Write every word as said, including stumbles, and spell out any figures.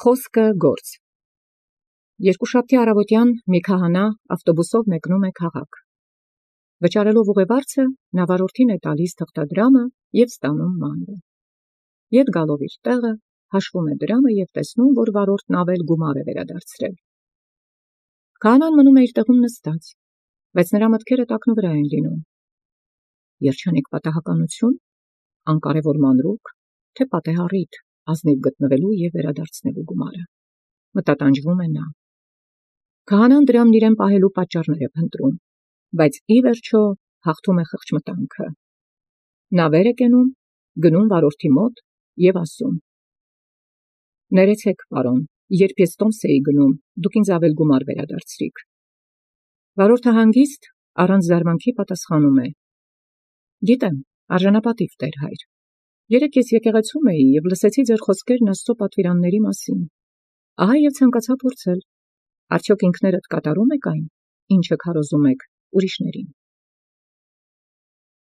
Խոսքը գործ։ Երկուշաբթի առավոտյան մի քահանա ավտոբուսով մեկնում է քաղաք։ Վճարելով ուղևորցը, նա վարորդին է տալիս թղթադրամը և ստանում մանրը։ Ետ գալով իր տեղը, հաշվում է դրամը և տեսնում, որ վարորդն ավել գումար է վերադարձրել։ Քահանան մնում է իր տեղում նստած, բայց նրա մտքերը տակնուվրա են լինում։ Երջանիկ պատահականություն, անկարևոր մանրուք, թե պատեհառիթ ազնիվ գտնվելու և վերադարձնելու գումարը։ Մտատանջվում է նա։ Քահանան դրամն իրեն պահելու պատճառներ է փնտրում, բայց ի վերջո հաղթում է խղճմտանքը։ Նա վեր է կենում, գնում վարորդի մոտ և ասում. «Ներեցեք, պարոն, երբ ես տոմս էի գնում, դուք ինձ ավել գումար վերադարձրիք»։ Վարորդը հանգիստ, առանց զարմանքի պատասխանում է. «Գիտեմ, արժանապատիվ տեր հայր, երեկ ես եկեղեցում էի և լսեցի ձեր խոսքերն Աստծո պատվիրանների մասին, ահա և ցանկացա փորձել, արդյոք ինքներդ կատարում եք այն, ինչը քարոզում եք ուրիշներին»։